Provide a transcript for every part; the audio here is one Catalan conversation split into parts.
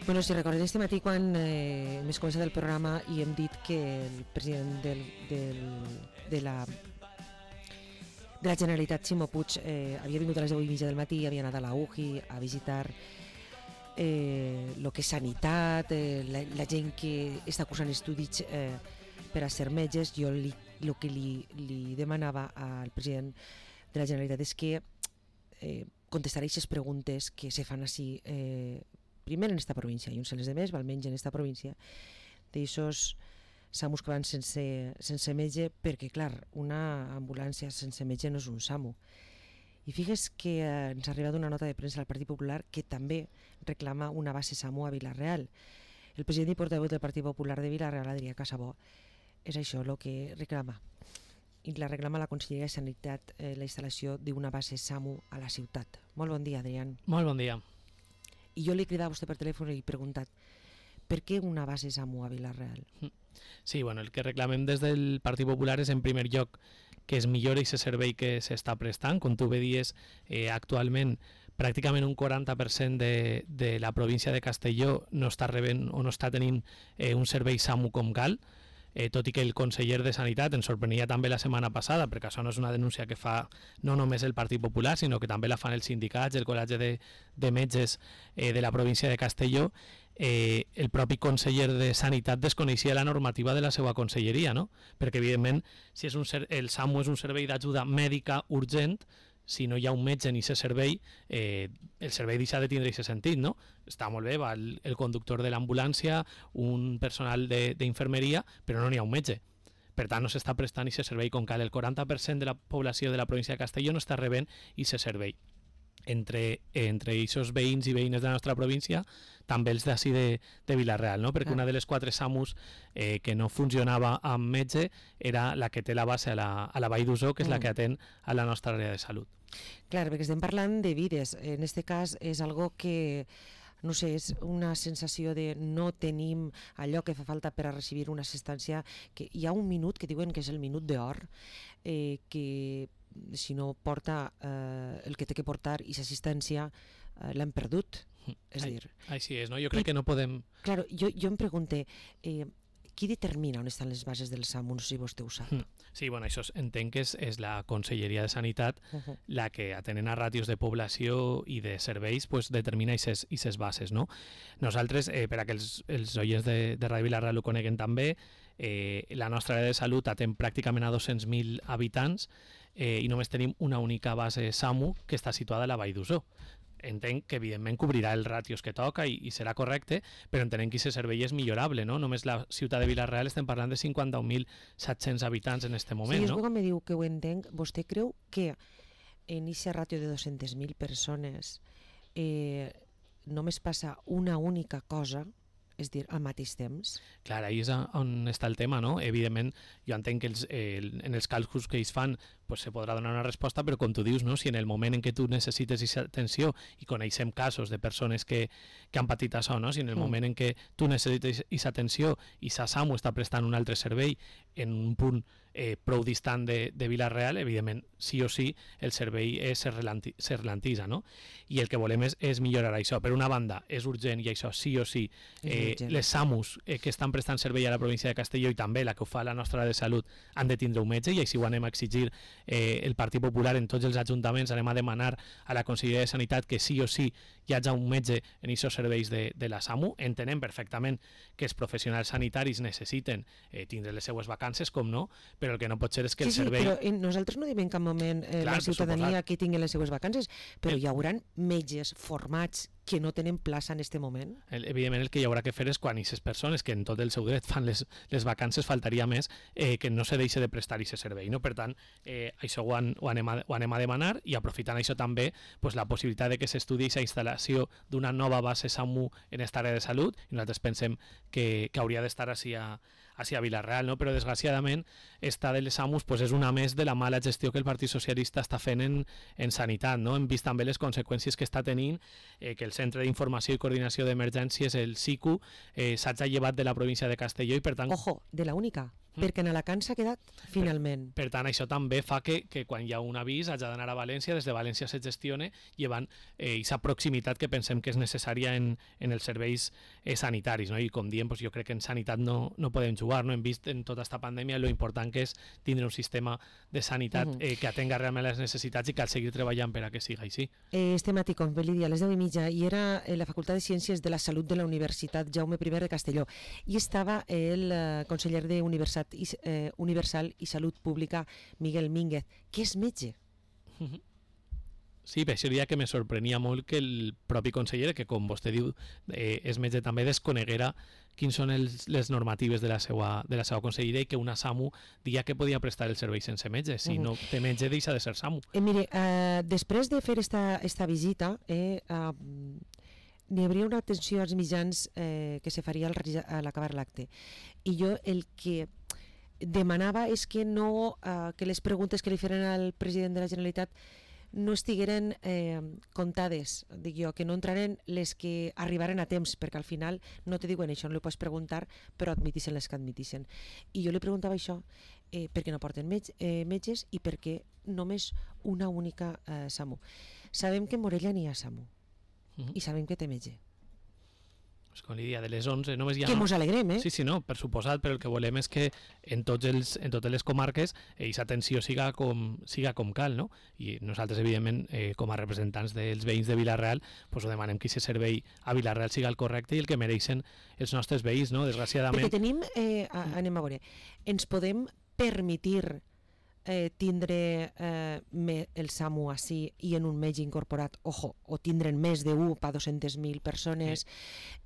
Bueno, si recordem este matí quan hem començat el programa i hem dit que el president de la Generalitat, Ximo Puig, havia vingut a les 10:30 del matí, havia anat a la UJI a visitar el que és sanitat, la gent que està cursant estudis per a ser metges. Jo el que li demanava al president de la Generalitat és que contestar aquestes preguntes que se fan així, primer en esta província i uns en les demés, almenys en esta província, d'aixòs SAMUs que van sense metge, perquè clar, una ambulància sense metge no és un SAMU. I figues que ens ha arribat una nota de premsa al Partit Popular que també reclama una base SAMU a Vila-real. El president i portaveu del Partit Popular de Vila-real, Adrià Casabó, és això el que reclama. I la reclama la Conselleria de Sanitat, la instal·lació d'una base SAMU a la ciutat. Molt bon dia, Adrián. Molt bon dia. I jo li he cridat a vostè per telèfon i he preguntat per què una base SAMU a Vila-real? Sí, bueno, el que reclamem des del Partit Popular és en primer lloc que es millori aquest servei que s'està prestant. Com tu bé dies, actualment pràcticament un 40% de la província de Castelló no està rebent o no està tenint un servei SAMU com cal, tot i que el conseller de Sanitat ens sorprenia també la setmana passada, perquè això no és una denúncia que fa no només el Partit Popular, sinó que també la fan els sindicats, el Col·legi de Metges de la província de Castelló. El propi conseller de Sanitat desconeixia la normativa de la seva conselleria, no? Perquè evidentment si és el SAMU és un servei d'ajuda mèdica urgent, si no hi ha un metge ni aquest servei, el servei deixa de tindre aquest sentit, no? Està molt bé, va el conductor de l'ambulància, un personal d'infermeria, però no n'hi ha un metge. Per tant, no s'està prestant aquest servei com cal. El 40% de la població de la província de Castelló no està rebent aquest servei. Entre aquests veïns i veïnes de la nostra província, també els d'ací de Vila-real, no? Perquè una de les 4 SAMUs que no funcionava amb metge era la que té la base a la Vall d'Uso, que és la que atén a la nostra àrea de salut. Clar, perquè estem parlant de vides. En aquest cas és algo que, no sé, és una sensació de no tenim allò que fa falta per a recibir una assistència, que hi ha un minut que diuen que és el minut d'or, que si no porta el que té que portar i l'assistència l'hem perdut. És a dir... Així és, no? Jo crec que no podem... Claro, jo em pregunte, qui determina on estan les bases del SAMU? No sé si vostè ho sap. Sí, bueno, això entenc que és la Conselleria de Sanitat la que, atenent a ràtios de població i de serveis, pues, determina aquestes bases, no? Nosaltres, per a que els oients de Ràdio Vila-real ho coneguen també, la nostra àrea de salut atén pràcticament a 200.000 habitants i només tenim una única base SAMU que està situada a la Vall d'Uso. Entenc que evidentment cobrirà els ràtios que toca i serà correcte, però entenem que aquest servei és millorable, no? Només la ciutat de Vila-real estem parlant de 51.700 habitants en aquest moment, no? Sí, quan me diu que ho entenc, vostè creu que en aquest ràtio de 200.000 persones només passa una única cosa, és dir, al mateix temps? Clar, ahí és on està el tema, no? Evidentment, jo entenc que en els càlculs que ells fan pues se podrà donar una resposta, però com tu dius, no? Si en el moment en què tu necessites aquesta atenció, i coneixem casos de persones que han patit això, no? Si en el moment en què tu necessites aquesta atenció i sa SAMU està prestant un altre servei en un punt prou distant de Vila-real, evidentment, sí o sí, el servei se ralentitza, no? I el que volem és millorar això. Per una banda, és urgent i això sí o sí, les SAMUs que estan prestant servei a la província de Castelló i també la que ho fa la nostra de salut han de tindre un metge, i així ho anem a exigir el Partit Popular en tots els ajuntaments. Anem a demanar a la Conselleria de Sanitat que sí o sí hi hagi un metge en aquests serveis de la SAMU. Entenem perfectament que els professionals sanitaris necessiten tindre les seues vacances, com no, però el que no pot ser és que el servei... Sí, però nosaltres no diem en cap moment la ciutadania que tingui les seues vacances, però hi haurà metges formats que no tenen plaça en aquest moment? Evidentment el que hi haurà que fer és quan aquestes persones que en tot el seu dret fan les vacances, faltaria més que no se deixi de prestar aquest servei, no? Per tant, això ho anem a demanar, i aprofitant això també pues, la possibilitat de que s'estudi aquesta instal·lació d'una nova base SAMU en aquesta àrea de salut, i nosaltres pensem que hauria d'estar així a Vila-real, no? Però desgraciadament esta de les SAMUs pues, és una més de la mala gestió que el Partit Socialista està fent en sanitat, no? Hem vist també les conseqüències que està tenint, que el Centre d'Informació i Coordinació d'Emergències, el SICU, s'ha llevat de la província de Castelló i per tant... Ojo, de la única. perquè en Alacant s'ha quedat finalment. Per tant, això també fa que quan hi ha un avís hagi d'anar a València, des de València se gestione, llevant aquesta proximitat que pensem que és necessària en els serveis sanitaris, no? I com diem, jo crec que en sanitat no podem jugar, no? Hem vist en tota aquesta pandèmia lo important que és tindre un sistema de sanitat que atenga realment les necessitats i cal seguir treballant per a que siga així. Estem a Ticons, Belidia, a les 10:30, i era la Facultat de Ciències de la Salut de la Universitat Jaume I de Castelló, i estava el conseller de Universal i Salut Pública, Miguel Mínguez, que és metge. Sí, per això diria que me sorprenia molt que el propi conseller, que com vostè diu és metge també, desconeguera quins són les normatives de la seva conselleria i que una SAMU dia que podia prestar el servei sense metge. Si no té metge, deixa de ser SAMU. Mire, després de fer esta visita, n'hi hauria una atenció als mitjans que se faria a l'acabar l'acte. I jo el que demanava és que que les preguntes que li feren al president de la Generalitat no estigueren comptades, dic jo, que no entraren les que arribaren a temps, perquè al final no te diuen això, no li pots preguntar, però admitixen les que admitixen. I jo li preguntava això, per què no porten metges i per què només una única SAMU. Sabem que en Morella n'hi ha SAMU i sabem que té metge. Pues com li dia, de les 11 només hi ha... Que mos alegrem, Sí, no, per suposat, però el que volem és que en totes les comarques aquesta atenció siga com cal, no? I nosaltres, evidentment, com a representants dels veïns de Vila-real, pues ho demanem que aquest servei a Vila-real siga el correcte i el que mereixen els nostres veïns, no? Desgraciadament... Perquè tenim, anem a veure, ens podem permetir tindre el SAMU així i en un metge incorporat, o tindre'n més d'un per 200.000 persones,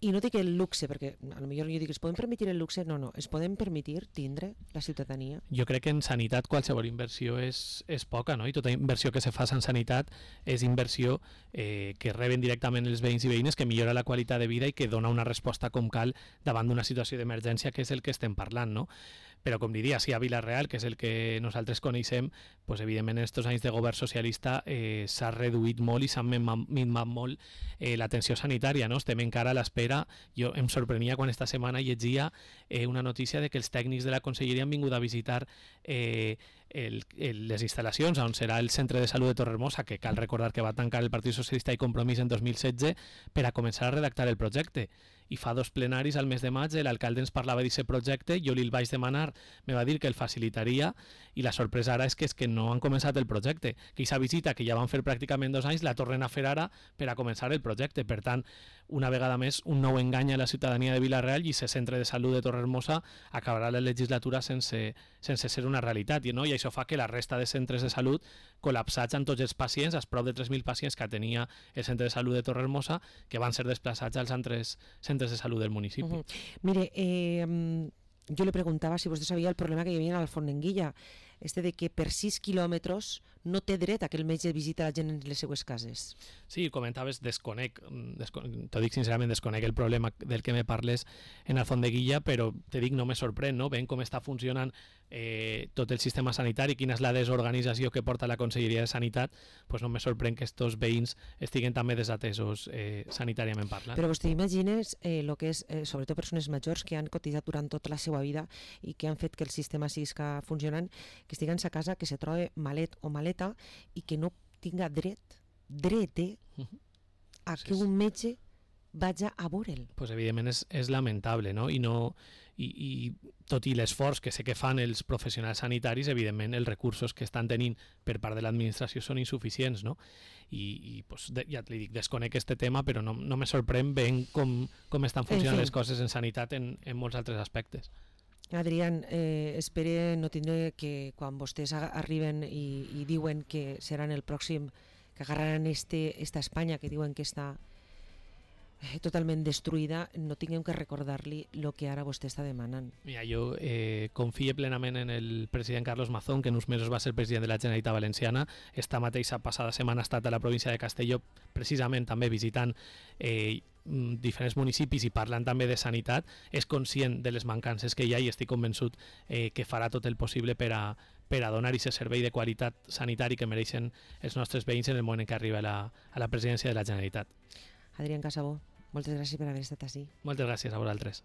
i no dic el luxe, perquè potser jo dic, es poden permetir el luxe? No, es poden permetir tindre la ciutadania. Jo crec que en sanitat qualsevol inversió és poca, no? I tota inversió que se fa en sanitat és inversió que reben directament els veïns i veïnes, que millora la qualitat de vida i que dona una resposta com cal davant d'una situació d'emergència, que és el que estem parlant, no? Però com diria, si a Vila-real, que és el que nosaltres coneixem, pues, evidentment en aquests anys de govern socialista s'ha reduït molt i s'ha minvat molt l'atenció sanitària, no? Estem encara a l'espera. Jo em sorprenia quan esta setmana llegia una notícia de que els tècnics de la conselleria han vingut a visitar les instal·lacions on serà el centre de salut de Torrehermosa, que cal recordar que va tancar el Partit Socialista i Compromís en 2016 per a començar a redactar el projecte. I fa 2 plenaris al mes de maig l'alcalde ens parlava d'aquest projecte, jo li el vaig demanar, me va dir que el facilitaria, i la sorpresa ara és que no han començat el projecte, que aquesta visita que ja van fer pràcticament 2 anys la tornen a fer ara per a començar el projecte. Per tant, una vegada més, un nou engany a la ciutadania de Vila-real, i aquest centre de salut de Torrehermosa acabarà la legislatura sense ser una realitat, no? I això fa que la resta de centres de salut col·lapsats amb tots els pacients, els prop de 3.000 pacients que tenia el centre de salut de Torrehermosa, que van ser desplaçats als altres centres de salut del municipi. Mire, jo le preguntava si vostè sabia el problema que hi havia al Fontenguilla, de que per 6 quilòmetres no té dret a que el metge visita la gent en les seues cases. Sí, comentaves, t'ho dic sincerament, desconec el problema del que me parles en el Fontenguilla, però te dic, no me sorprèn, no? Veient com està funcionant tot el sistema sanitari, quina és la desorganització que porta la Conselleria de Sanitat, pues no me sorprèn que estos veïns estiguen també desatesos sanitàriament parlant. Però vostè imagines el que és, sobretot persones majors que han cotitzat durant tota la seva vida i que han fet que el sistema siga funcionant, que estiguen a casa, que se trobe malet o maleta i que no tinga dret a que un metge vagi a veure'l. Pues evidentment és lamentable, no? I tot i l'esforç que sé que fan els professionals sanitaris, evidentment els recursos que estan tenint per part de l'administració són insuficients, no? I pues, ja li dic, desconec este tema, però no me sorprèn veient com estan funcionant les coses en sanitat en molts altres aspectes. Adrián, espere no tindre que quan vostès arriben i diuen que seran el pròxim, que agarraran esta Espanya que diuen que està totalment destruïda, no tinguem que recordar-li el que ara vostè està demanant. Mira, jo confio plenament en el president Carlos Mazón, que en uns mesos va ser president de la Generalitat Valenciana. Esta mateixa passada setmana ha estat a la província de Castelló, precisament també visitant diferents municipis i parlant també de sanitat. És conscient de les mancances que hi ha i estic convençut que farà tot el possible per a donar aquest servei de qualitat sanitari que mereixen els nostres veïns en el moment en què arriba a la presidència de la Generalitat. Adrián Casabó, moltes gràcies per haver estat ací. Moltes gràcies a vosaltres.